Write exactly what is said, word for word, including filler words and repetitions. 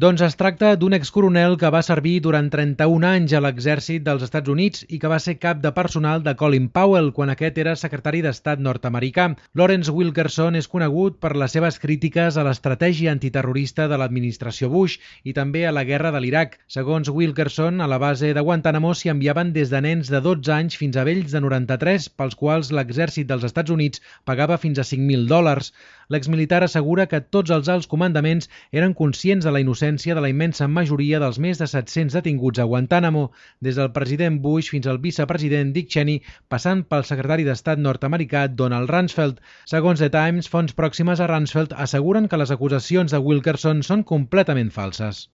Doncs es tracta d'un excoronel que va servir durant trenta-un anys a l'exèrcit dels Estats Units i que va ser cap de personal de Colin Powell quan aquest era secretari d'Estat nord-americà. Lawrence Wilkerson és conegut per les seves crítiques a l'estratègia antiterrorista de l'administració Bush i també a la guerra de l'Iraq. Segons Wilkerson, a la base de Guantánamo s'hi enviaven des de nens de dotze anys fins a vells de noranta-tres, pels quals l'exèrcit dels Estats Units pagava fins a cinc mil dòlars. L'exmilitar assegura que tots els alts comandaments eren conscients de la innocència de la immensa majoria dels més de set-cents detinguts a Guantánamo, des del president Bush fins al vicepresident Dick Cheney, passant pel secretari d'Estat nord-americà Donald Rumsfeld. Segons The Times, fonts pròximes a Rumsfeld asseguren que les acusacions de Wilkerson són completament falses.